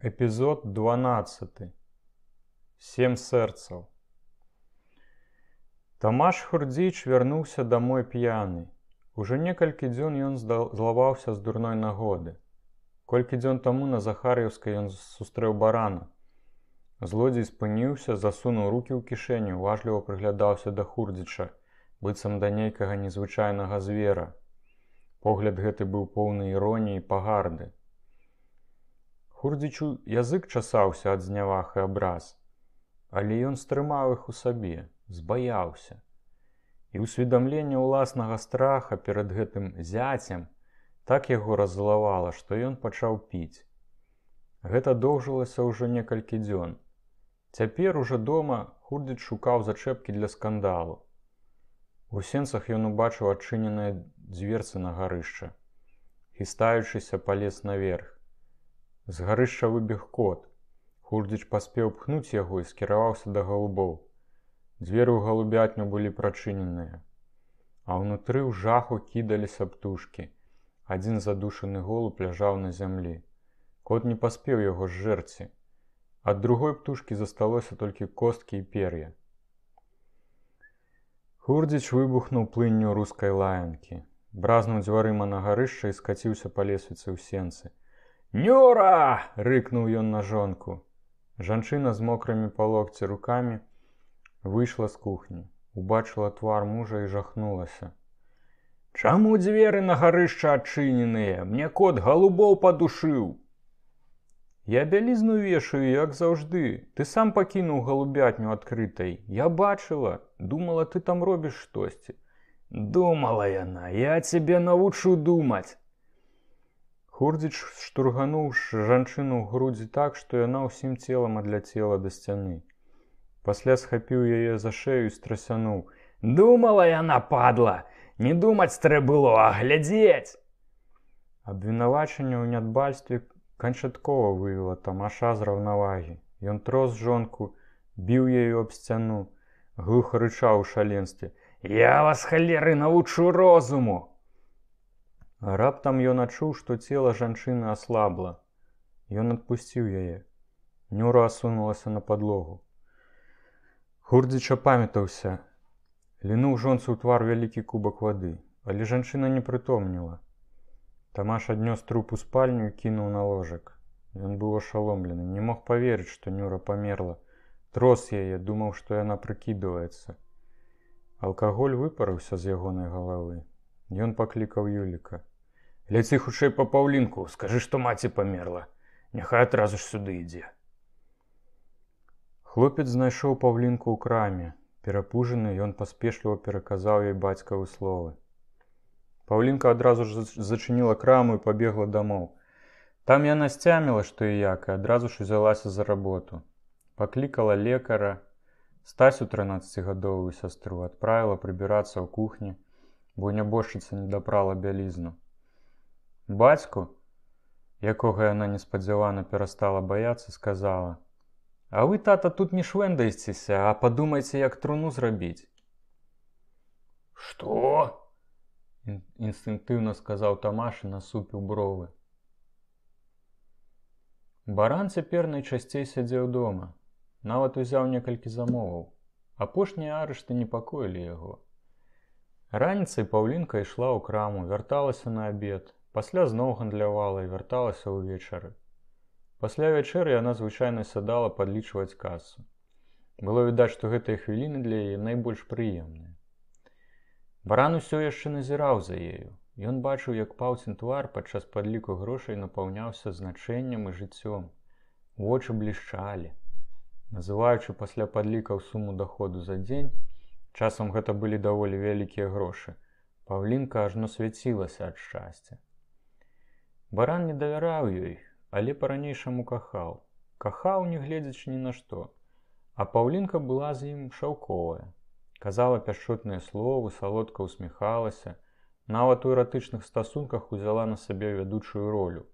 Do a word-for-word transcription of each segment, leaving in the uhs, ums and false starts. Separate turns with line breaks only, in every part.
Эпізод дванаццаты. Сем сэрцаў. Тамаш Хурдзіч вярнуўся дамой п'яны. Ужо некалькі дзён ён злаваўся з дурной нагоды. Колькі дзён таму на Захар'еўскай ён сустрэў барана. Злодзей спыніўся, засунуў рукі ў кішэню, уважліва прыглядаўся да Хурдзіча, быццам да нейкага незвычайнага звера. Погляд гэты быў поўны іроніі і пагарды. Хурдзічу язык часаўся ад зняваг і абраз, але ён стрымаў іх у сабе, збаяўся. І ўсведамленне ўласнага страха перад гэтым зяцем так яго раззлавала, што ён пачаў піць. Гэта доўжылася ўжо некалькі дзён. Цяпер ужо дома Хурдзіч шукаў зачэпкі для скандалу. У сенцах ён убачыў адчыненыя дзверцы на гарышча. Хістаючыся, палез наверх. З гарышча выбег кот. Хурдзіч паспеў пхнуць яго і скіраваўся да галубоў. Дзверы ў галубятню былі прачыненыя. А ўнутры ў жаху кідаліся птушкі. Адзін задушаны голуб ляжаў на зямлі. Кот не паспеў яго зжэрці. Ад другой птушкі засталося толькі косткі і пер'я. Хурдзіч выбухнуў плынню рускай лаянкі. Бразнуў дзвярыма на гарышча і скаціўся па лесвіцы ў сенцы. «Нюра!» – рыкнуў ён на жонку. Жанчына з мокрымі па локці рукамі выйшла з кухні. Убачыла твар мужа і жахнулася. «Чаму дзверы на гарышча адчыненыя? Мне кот галубоў падушыў!» «Я бялізну вешаю, як заўжды. Ты сам пакінуў галубятню адкрытай. Я бачыла. Думала, ты там робіш штосьці». «Думала яна. Я цябе навучу думаць». Хурдзіч штургануў жанчыну ў грудзі так, што яна ўсім целам адляцела да сцяны. Пасля схапіў яе за шею і страсянуў. «Думала яна, падла! Не думаць трэ было, а глядзець!» Абвінавачанне ў нядбальстве канчаткова вывела Тамаша з раўнавагі. Ён трос жонку, біў яе аб сцяну, глуха рычаў у шаленстве. «Я вас, халеры, навучу розуму!» Раптам ён адчуў, што цела жанчыны аслабла. Ён адпусціў яе. Нюра асунулася на падлогу. Хурдзіч апамятаўся. Лінуў жонцы ў твар вялікі кубак вады, але жанчына не прытомніла. Тамаш аднёс труп у спальню і кінуў на ложак. Ён быў ашаломлены, не мог паверыць, што Нюра памерла. Трос яе, думаў, што яна прыкідваецца. Алкаголь выпарыўся з ягонай галавы. Ён паклікаў Юліка. «Ляці хутчэй па Паўлінку, скажы, што маці памерла. Няхай адразу ж сюды ідзе». Хлопец знайшоў Паўлінку ў краме. Перапужаны, ён паспешліва пераказаў ёй бацькавы словы. Паўлінка адразу ж зачыніла краму і пабегла дамоў. Там яна сцяміла, што і як, і адразу ж узялася за работу. Паклікала лекара, Стасю трынаццацігадовую сястру, адправіла прыбірацца ў кухні, бо нябожчыца не дапрала бялізну. Бацьку, якога яна неспадзявана перастала баяцца, сказала: «А вы, тата, тут не швэндайцеся, а падумайце, як труну зрабіць». «Што?» – інстынктыўна сказаў Тамаш і насупіў бровы. Баран цяпер найчасцей сядзеў дома. Нават узяў некалькі замоваў. Апошнія арышты непакоілі яго. Раніцай Паўлінка ішла ў краму, вярталася на абед, пасля зноў гандлявала і вярталася ўвечары. Пасля вячэры яна звычайна сядала падлічваць касу. Было відаць, што гэтыя хвіліны для яе найбольш прыемныя. Баран усё яшчэ назіраў за ею. Ён бачыў, як Паўцін твар падчас падліку грошай напаўняўся значэннем і жыццём. Вочы блішчалі. Называючы пасля падлікаў суму даходу за дзень, часам гэта былі даволі вялікія грошы, Паўлінка ажно свяцілася ад шчасця. Баран не давяраў ёй, але па-ранейшаму кахаў. Кахаў, не гледзячы ні на што. А Паўлінка была з ім шаўковая. Казала пяшчотныя словы, салодка усміхалася, нават у эратычных стасунках узяла на сабе вядучую ролю.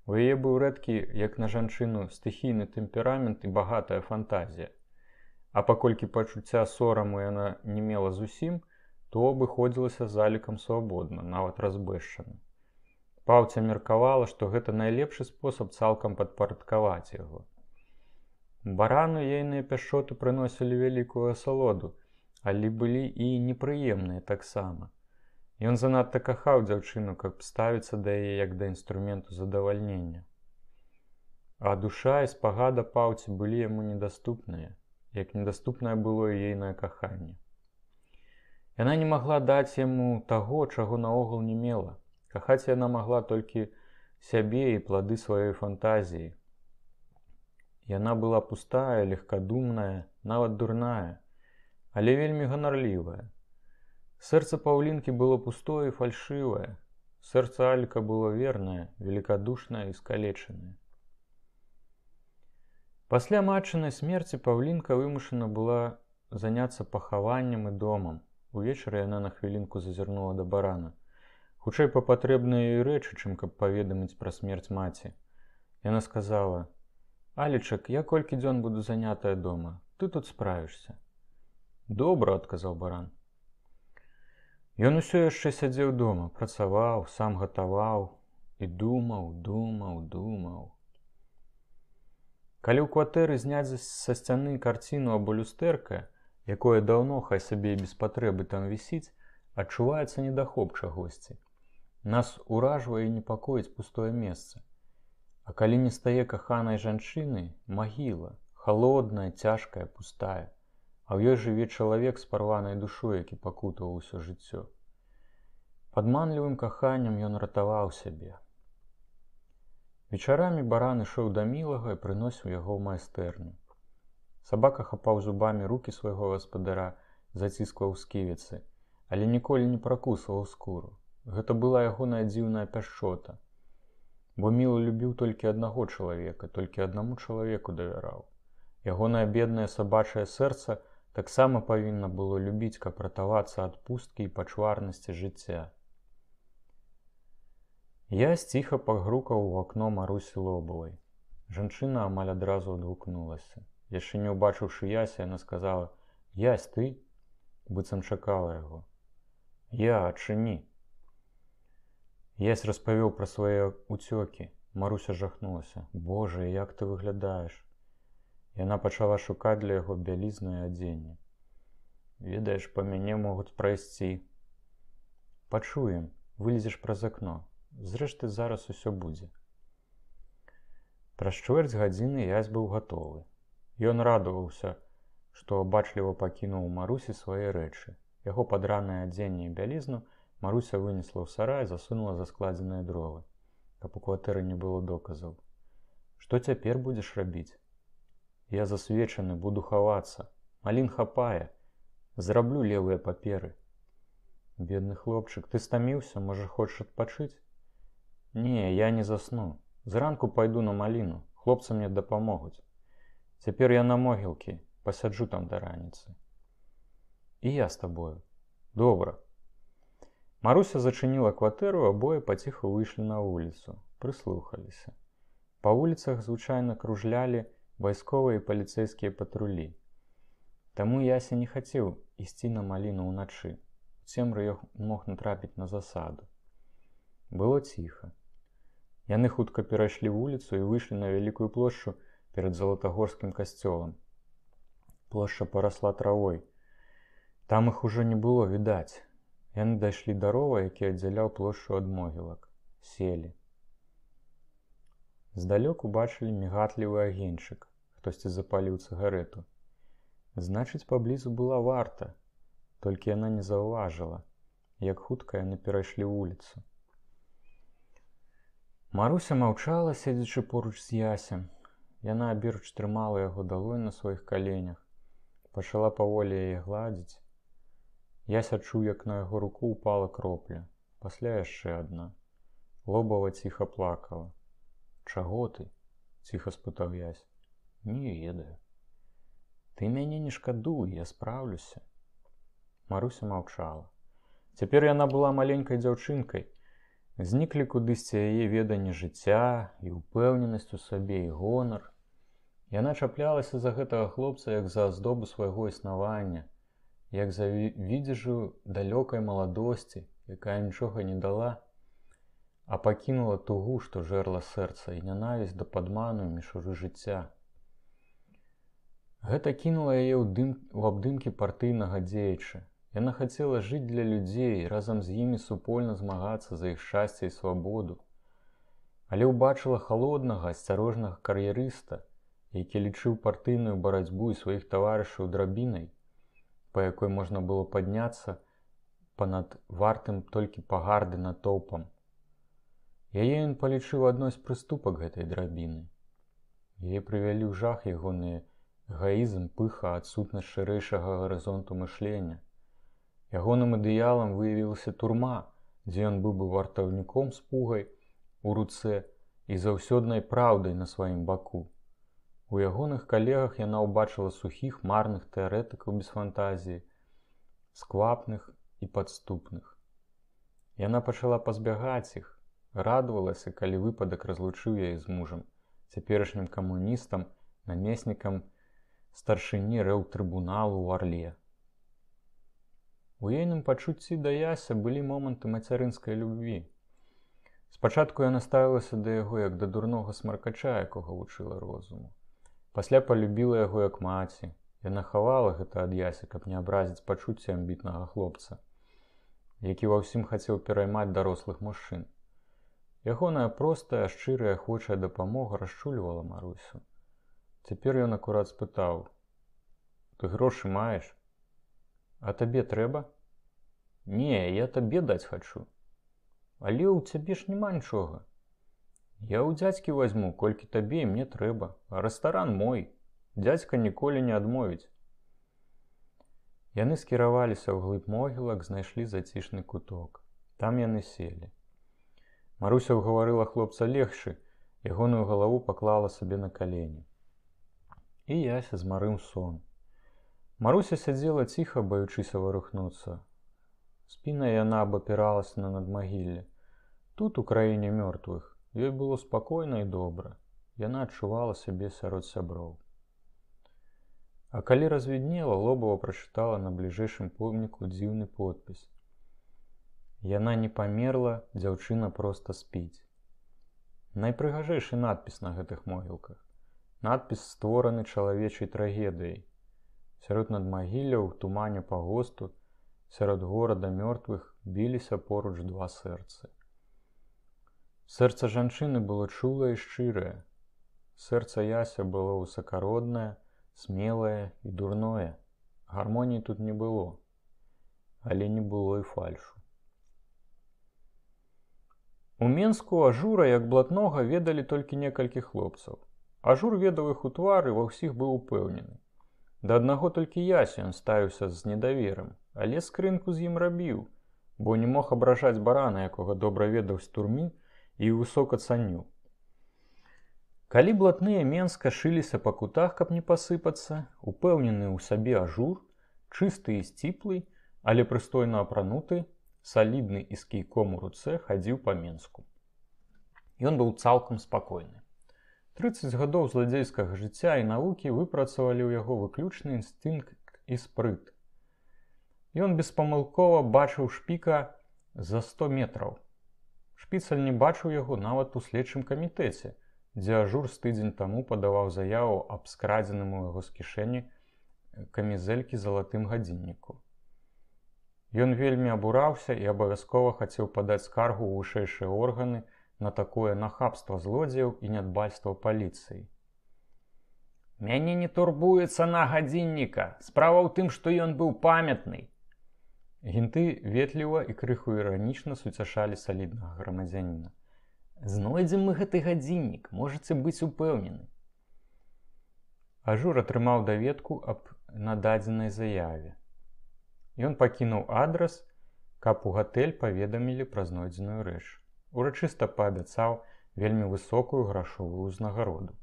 У яе быў рэдкі, як на жанчыну, стыхійны тэмперамент і багатая фантазія. А паколькі пачуцця сораму яна не мела зусім, то абыходзілася залікам свабодна, нават разбэшчана. Паўця меркавала, што гэта найлепшы спосаб цалкам падпарадкаваць яго. Барану ейныя пяшчоты прыносілі вялікую асалоду, але былі і непрыемныя таксама. Ён занадта кахаў дзяўчыну, каб ставіцца да яе як да інструменту задавальнення. А душа і спагада паўці былі яму недаступныя, як недаступнае было і ейнае каханне. Яна не магла даць яму таго, чаго наогул не мела. Кахаць яна магла толькі сябе і плады сваёй фантазіі. Яна была пустая, легкадумная, нават дурная, але вельмі ганарлівая. Сэрца Паўлінкі было пустое і фальшывае. Сэрца Аліка было вернае, великадушнае і скалечанае. Пасля матчынай смерці Паўлінка вымушана была заняцца пахаваннем і домам. Увечары яна на хвілінку зазірнула да барана. Хутчэй па патрэбныя ёй рэчы, чым каб паведаміць пра смерць маці. Яна сказала: «Алічак, я колькі дзён буду занятая дома. Ты тут справішся». «Добра», – адказаў баран. Ён усё яшчэ сядзеў дома, працаваў, сам гатаваў і думаў, думаў, думаў. Калі ў кватэры зняць са сцяны карціну або люстэрка, якое даўно, хай сабе і без патрэбы там вісіць, адчуваецца недахоп чагосьці. Нас уражвае і непакоіць пустое месца. А калі не стае каханай жанчыны, магіла, халодная, цяжкая, пустая, а ў ёй жыве чалавек з парванай душой, які пакутаваў усё жыццё. Падманлівым каханнем ён ратаваў сябе. Вечарамі баран ішоў да мілага і прыносіў яго ў майстэрню. Сабака хапаў зубамі рукі свайго гаспадара, заціскваў сківіцы, але ніколі не пракусваў скуру. Гэта была ягоная дзіўная пяшчота. Бо Міла любіў толькі аднаго чалавека, толькі аднаму чалавеку давяраў. Ягонае беднае сабачае сэрца таксама павінна было любіць, каб ратавацца ад пусткі і пачварнасці жыцця. Я сціха пагрукаў у акно Марусі Лобавай. Жанчына амаль адразу адгукнулася. Яшчэ не ўбачыўшы Яся, яна сказала: «Ясь, ты?» Быццам чакала яго. «Я, адчыні». Ясь распавёў пра свае ўцёкі. Маруся жахнулася. «Божа, як ты выглядаеш?» Яна пачала шукаць для яго бялізну і адзенне. «Ведаеш, па мяне могуць прайсці». «Пачуем, вылезеш праз акно. Зрэшты, зараз усё будзе». Праз чвэрць гадзіны Ясь быў гатовы. Ён радаваўся, што бачліва пакінуў у Марусі свае рэчы. Яго падранае адзенне і бялізну Маруся вынесла ў сарай і засунула за складзеныя дровы, каб у кватэры не было доказаў. «Што цяпер будзеш рабіць?» «Я засвечаны, буду хавацца. Малін хапае. Зраблю левыя паперы». «Бедны хлопчык, ты стаміўся, можа, хочаш адпачыць?» «Не, я не засну. Зранку пайду на маліну, хлопцы мне дапамогуць. Цяпер я на могілкі, пасяджу там да раніцы». «І я з табою». «Добра». Маруся зачыніла кватэру, абое паціху выйшлі на вуліцу, прыслухаліся. Па вуліцах звычайна кружлялі вайсковыя і паліцэйскія патрулі. Таму Яся не хацеў ісці на маліну ўначы. У цемры ён мог натрапіць на засаду. Было ціха. Яны хутка перайшлі вуліцу і выйшлі на вялікую плошчу перад Залатагорскім касцёлам. Плошча парасла травой. Там іх ужо не было відаць. Яны дайшлі да рова, які аддзяляў плошчу ад могілак. Селі. Здалёк убачылі мігатлівы агеньчык. Хтосьці запаліў цыгарэту. Значыць, паблізу была варта. Толькі яна не заўважыла, як хутка яны перайшлі вуліцу. Маруся маўчала, седзячы поруч з Ясем. Яна аберуч трымала яго далонь на сваіх каленях. Пачала паволі яе гладзіць. Ясь адчуў, як на яго руку ўпала кропля. Пасля яшчэ адна. Лобава ціха плакала. «Чаго ты?» – ціха спытаў Ясь. «Не ведаю». «Ты мяне не шкадуй, я спраўлюся». Маруся маўчала. Цяпер яна была маленькай дзяўчынкай. Зніклі кудысьці яе веданне жыцця, і ўпэўненасць у сабе, і гонар. Яна чаплялася за гэтага хлопца, як за аздобу свайго існавання, як за відзежу далёкай маладосці, якая нічога не дала, а пакінула тугу, што жерла сэрца, і нянавісць да падману і мішуры жыцця. Гэта кінула яе ў дым у абдымкі партыйнага дзеяча. Яна хацела жыць для людзей, разам з імі супольна змагацца за іх шчасце і свабоду. Але ўбачыла халоднага, асцярожнага кар'ерыста, які лічыў партыйную барацьбу і сваіх таварышаў драбінай, па якой можна было падняцца панад вартым толькі пагарды натоўпам. Яе ён палічыў адной з прыступак гэтай драбіны. Яе прывялі ў жах ягоны эгоізм, пыха, адсутнасць шырэйшага гарызонту мышлення. Ягоным ідэалам выявілася турма, дзе ён быў бы вартаўніком з пугай у руцэ і заўсёднай праўдай на сваім баку. У ягоных калегах яна ўбачыла сухіх, марных тэарэтыкаў без фантазіі, сквапных і падступных. Яна пачала пазбягаць іх, радавалася, калі выпадак разлучыў яе з мужам, цяперашнім камуністам, намеснікам старшыні рэўтрыбуналу ў Арле. У ейным пачуцці да Яся былі моманты мацярынскай любві. Спачатку яна ставілася да яго як да дурнога смаркача, якога вучыла розуму. Пасля палюбіла яго як маці. Яна хавала гэта ад Яся, каб не абразіць пачуцці амбітнага хлопца, які ва ўсім хацеў пераймаць дарослых мужчын. Ягоная простая, шчырая, ахвочая дапамога расчульвала Марусю. Цяпер ён акурат спытаў: «Ты грошы маеш? А табе трэба?» «Не, я табе даць хачу. Але ў цябе ж няма нічога. Я ў дзядзькі вазьму, колькі табе і мне трэба. А рэстаран мой. Дзядзька ніколі не адмовіць». Яны скіраваліся ўглыб могілак, знайшлі зацішны куток. Там яны селі. Маруся ўгаварыла хлопца легчы, ягоную галаву паклала сабе на калені. І Яся змарыў сон. Маруся сядзела ціха, баючыся варухнуцца. Спінай яна абапіралася на надмагілле. Тут, у краіне мёртвых, ёй было спакойна і добра. Яна адчувала сябе сярод сяброў. А калі развіднела, Лобава прачытала на бліжэйшым помніку дзіўны подпіс. Яна не памерла, дзяўчына проста спіць. Найпрыгажэйшы надпіс на гэтых могілках. Надпіс створаны чалавечай трагедыяй. Сярод надмагілля ў тумане пагосту, сярод горада мёртвых біліся поруч два сэрцы. Сэрца жанчыны было чулае і шчырае. Сэрца Яся было высакароднае, смелае і дурное. Гармоніі тут не было, але не было і фальшу. У Менску Ажура як блатнога ведалі толькі некалькі хлопцаў. Ажур ведаў іх у твары, ва ўсіх быў упэўнены. Да аднаго толькі Ясі ён ставіўся з недаверам, але скрынку з ім рабіў, бо не мог абражаць барана, якога добра ведаў з турмы і высока цаніў. Калі блатныя Менска шыліся па кутах, каб не пасыпацца, упэўнены ў сабе Ажур, чысты і сціплы, але прыстойна апрануты, салідны і з кійком у руцэ хадзіў па Менску. Ён быў цалкам спакойны. трыццаць гадоў зладзейскага жыцця і навукі выпрацавалі ў яго выключны інстынкт і спрыт. Ён беспамылкова бачыў шпіка за сто метраў. Шпіцаль не бачыў яго нават у следчым камітэце, дзе Ажур з тыдзень таму падаваў заяву аб скрадзеным у яго з кішэні камізэлькі залатым гадзінніку. Ён вельмі абураўся і абавязкова хацеў падаць скаргу ў вышэйшыя органы на такое нахабства злодзеяў і нядбальства паліцыі. «Мяне не турбуе цана гадзінніка. Справа ў тым, што ён быў памятны». Гінты ветліва і крыху іранічна суцяшалі саліднага грамадзяніна. «Знойдзем мы гэты гадзіннік, можаце быць упэўнены». Ажур атрымаў даведку аб нададзенай заяве. Ён пакінуў адрас, каб у гатэль паведамілі пра знойдзеную рэч. Урачыста паабяцаў вельмі высокую грашовую ўзнагароду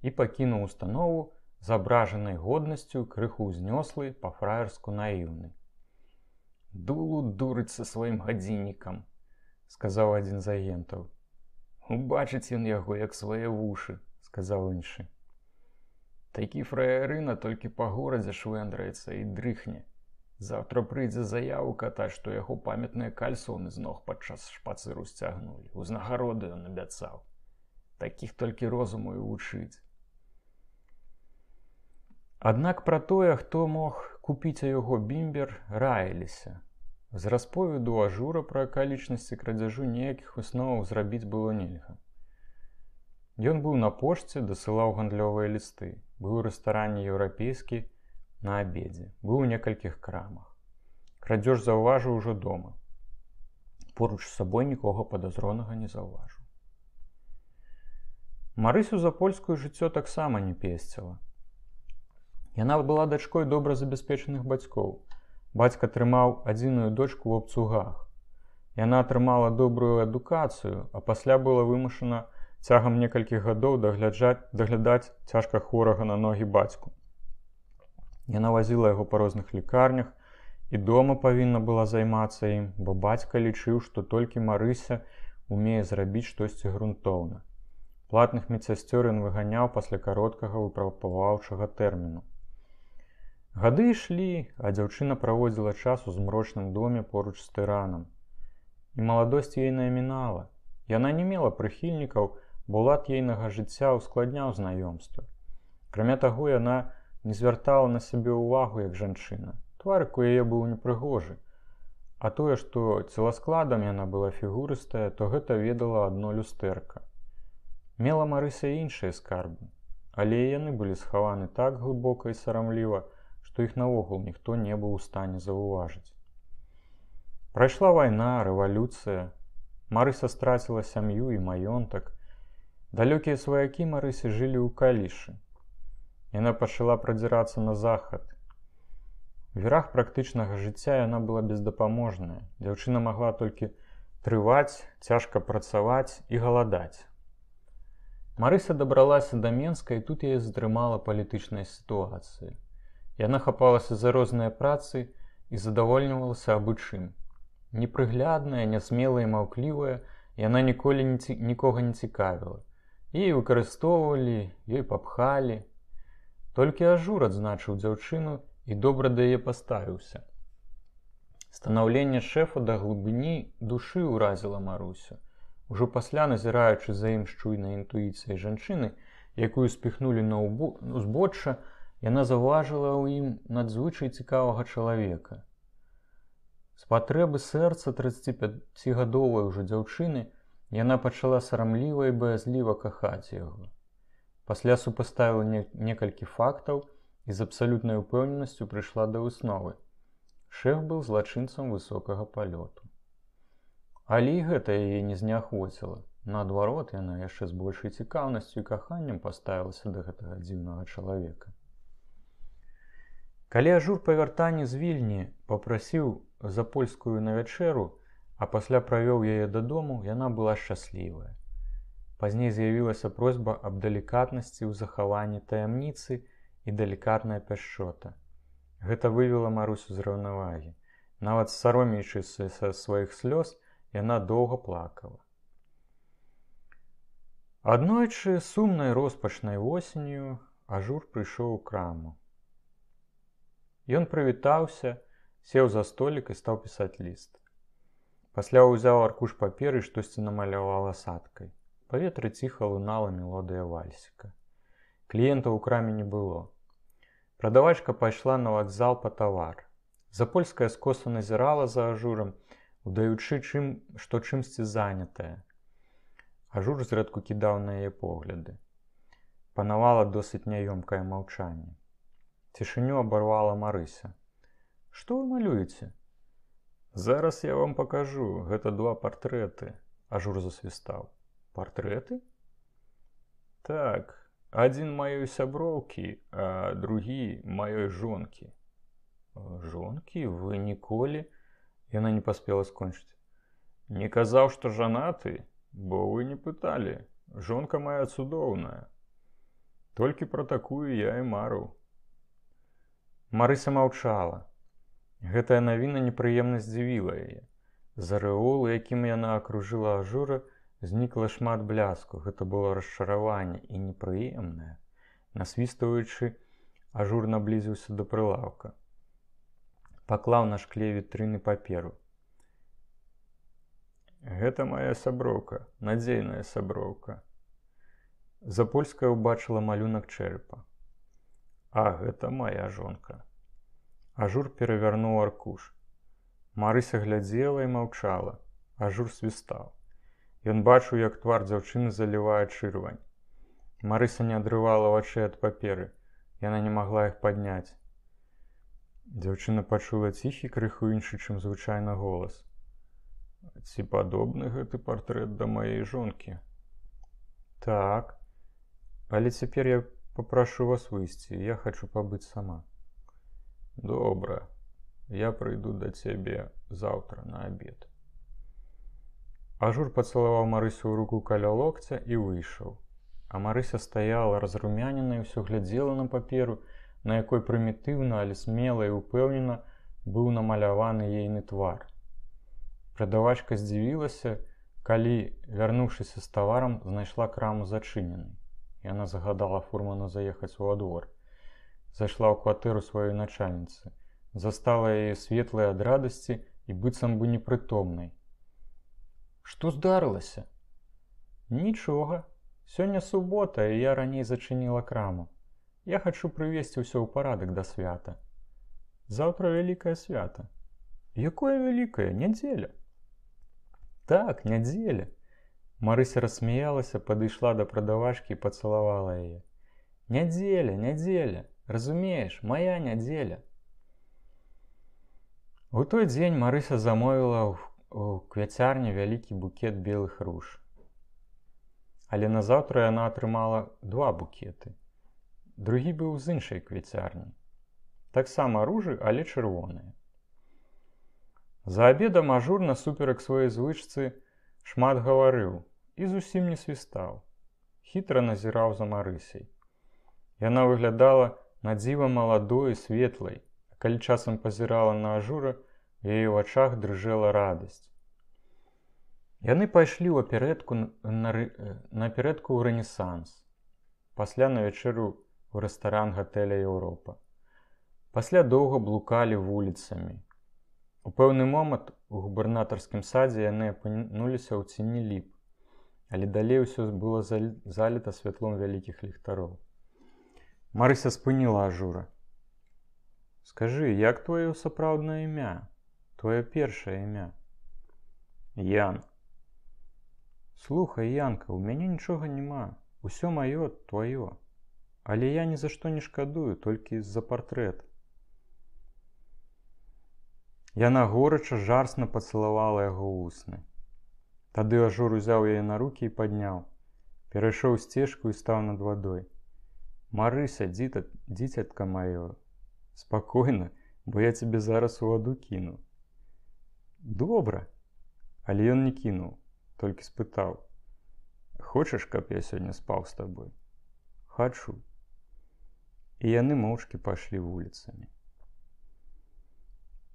і пакінуў установу з абражанай годнасцю, крыху ўзнёслы, па-фраерску наіўны. «Дулу дурыць са сваім гадзіннікам», — сказаў адзін з агентаў. «Убачыць ён яго, як свае вушы», — сказаў іншы. «Такі фраерына толькі па горадзе швэндараецца і дрыхне. Завтра прыйдзе заяву катаць, што яго памятныя кальсоны з ног падчас шпацыру сцягнулі. Узнагароды ён абяцаў. Такіх толькі розуму і вучыць. Аднак пра тое, хто мог купіць яго бімбер, раіліся. З расповеду Ажура пра акалічнасці крадзяжу ніякіх высноваў зрабіць было нельга. Ён быў на пошце, дасылаў гандлёвыя лісты, быў у рэстаране еўрапейскі на абедзе, быў у некалькіх крамах. Крадзеж заўважыў ужо дома. Поруч з сабой нікога падазронага не заўважыў. Марысю запольскую жыццё таксама не песціла. Яна была дачкой добра забяспечаных бацькоў. Бацька трымаў адзіную дочку ў абцугах. Яна атрымала добрую адукацыю, а пасля была вымушана цягам некалькіх гадоў даглядаць цяжка хворага на ногі бацьку. Яна вазіла яго па розных лекарнях і дома павінна была займацца ім, бо бацька лічыў, што толькі Марыся умее зрабіць штосьці грунтоўна. Платных медсясцёр ён выганяў пасля кароткага выпрабаваўчага тэрміну. Гады ішлі, а дзяўчына праводзіла час у змрочным доме поруч з тыранам. І маладосць ейная мінала. Яна не мела прыхільнікаў, бо лад ейнага жыцця ускладняў знаёмства. Акрамя таго, яна не звяртала на сябе ўвагу як жанчына. Тварык у яе быў непрыгожы. А тое, што целаскладам яна была фігурыстая, то гэта ведала адно люстэрка. Мела Марыся іншыя скарбы, але і яны былі схаваны так глыбока і сарамліва, што іх наогул ніхто не быў у стане заўважыць. Прайшла вайна, рэвалюцыя. Марыся страціла сям'ю і маёнтак. Далёкія сваякі Марысі жылі ў Калішы. Яна пачала прадзірацца на захад. У верах практычнага жыцця яна была бездапаможная. Дзяўчына магла толькі трываць, цяжка працаваць і галадаць. Марыся дабралася да Менска, і тут яе затрымала палітычная сітуацыя. Яна хапалася за розныя працы і задавольнівалася абы чым. Непрыглядная, нясмелая і маўклівая, яна ніколі нікога не цікавіла. Яе выкарыстоўвалі, ёй папхалі. Толькі Ажур адзначыў дзяўчыну і добра да яе паставіўся. Станаўленне шэфа да глыбіні душы ўразіла Марусю. Ужо пасля, назіраючы за ім шчуйнай інтуіцыяй жанчыны, якую спіхнулі на узбочча, яна заўважыла ў ім надзвычай цікавага чалавека. З патрэбы сэрца трыццаціпяцігадовай ужо дзяўчыны яна пачала сарамліва і баязліва кахаць яго. Пасля супаставіла некалькі фактаў і з абсалютнай упэўненасцю прыйшла да высновы. Шэф быў злачынцам высокага палёту. Але і гэта яе не зняхвоціла. Наадварот, яна яшчэ з большай цікаўнасцю і каханнем паставілася да гэтага дзіўнага чалавека. Калі Ажур па вяртанні з Вільні папрасіў запольскую на вячэру, а пасля правёў яе дадому, яна была шчаслівая. Пазней з'явілася просьба аб далікатнасці ў захаванні таямніцы і далікатная пяшчота. Гэта вывела Марусю з раўнавагі. Нават саромеючыся са сваіх слёз, яна доўга плакала. Аднойчы сумнай роспачнай восенню Ажур прыйшоў у краму. Ён прывітаўся, сеў за столік і стаў пісаць ліст. Пасля ўзяў аркуш паперы і штосьці намаляваў асадкай. У паветры ціха лунала мелодыя вальсіка. Кліентаў у краме не было. Прадавачка пайшла на вакзал па тавар. Запольская скоса назірала за Ажурам, удаючы, чым, што чымсьці занятая. Ажур зрэдку кідаў на яе погляды. Панавала досыць няёмкае маўчанне. Цішыню абарвала Марыся. «Што вы малюеце?» «Зараз я вам пакажу. Гэта два партрэты», – Ажур засвістаў. «Партрэты?» «Так, адзін маёй сяброўкі, а другі маёй жонкі». «Жонкі? Вы ніколі?» Яна не паспела скончыць. «Не казаў, што жанаты, бо вы не пыталі. Жонка моя цудоўная. Толькі пра такую я і марыў». Марыся маўчала. Гэтая навіна непрыемна здзівіла яе. З арэолу, якім яна акружыла Ажура, знікла шмат бляску. Гэта было расчараванне і непрыемнае. Насвістваючы, Ажур наблізіўся да прылаўка. паклаў на шкле вітрыны паперу. Гэта мая сяброўка, надзейная сяброўка. Запольская ўбачыла малюнак чэрапа. А гэта мая жонка. Ажур перавярнуў аркуш. Марыся глядзела і маўчала. Ажур свістаў. Ён бачыў, як твар дзяўчыны залівае чырвань. Марыся не адрывала вачэй ад паперы. Яна не магла іх падняць. Дзяўчына пачула ціхі, крыху іншы, чым звычайна голас. Ці падобны гэты партрэт да маёй жонкі? Так. Але цяпер я папрашу вас выйсці, я хачу пабыць сама. Добра. Я прыйду да цябе заўтра на абед. Ажур пацалаваў Марысю ў руку каля локця і выйшаў. А Марыся стаяла разрумянена і ўсё глядзела на паперу, на якой прымітыўна, але смела і ўпэўнена быў намаляваны ейны твар. Прадавачка здзівілася, калі, вярнуўшыся з таварам, знайшла краму зачыненай. Яна загадала фурману заехаць у двор. Зайшла ў кватэру сваёй начальніцы. Застала яе светлай ад радасці і быццам бы непрытомнай. Што здарылася? Нічога. Сёння субота, і я раней зачыніла краму. Я хачу прывесці ўсё ў парадак да свята. Заўтра вялікае свята. Якое вялікае? Нядзеля. Так, нядзеля. Марыся рассмяялася, падышла да прадавачкі і пацалавала яе. Нядзеля, нядзеля. Разумееш, мая нядзеля. У той дзень Марыся замовіла ў квяцярні вялікі букет белых руж. Але назаўтра яна атрымала два букеты. Другі быў з іншай квяцярні. Таксама ружы, але чырвоныя. За абедам Ажур насуперак сваёй звычцы шмат гаварыў і зусім не свістаў. Хітра назіраў за Марысяй. Яна выглядала надзіва маладой і светлай, а калі часам пазірала на Ажура, у яе вачах дрыжэла радасць. Яны пайшлі ў аперэтку наперэдку ў Рэнесанс, пасля на вячэру ў рэстаран гатэля Еўропа. Пасля доўга блукалі вуліцамі. У пэўны момант у губернатарскім садзе яны апынуліся ў цені ліп, але далей усё было заліта святлом вялікіх ліхтароў. Марыся спыніла Ажура. Скажы, як твоё сапраўднае імя? Твоё першае імя? Ян. Слухай, Янка, у мяне нічога няма. Усё маё тваё. Але я ні за што не шкадую, толькі з-за партрэта. Яна горача, жарсна пацалавала яго вусны. Тады Ажур узяў яе на рукі і падняў. Перайшоў сцежку і стаў над вадой. Марыся, дзіцятка маё, спакойна, бо я цябе зараз у ваду кіну. Добра. Але ён не кінуў, толькі спытаў. Хочаш, каб я сёння спаў з табой? Хачу. І яны моўчкі пайшлі вуліцамі.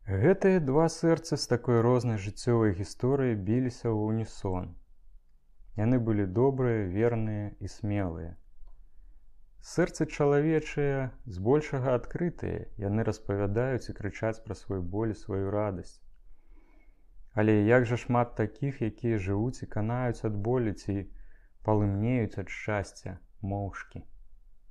Гэтыя два сэрцы з такой рознай жыццёвай гісторыяй біліся ў унісон. Яны былі добрыя, верныя і смелыя. Сэрцы чалавечыя збольшага адкрытыя, яны распавядаюць і крычаць пра свой боль і сваю радасць. Але як жа шмат такіх, якія жывуць і канаюць ад болі ці палымнеюць ад шчасця моўчкі.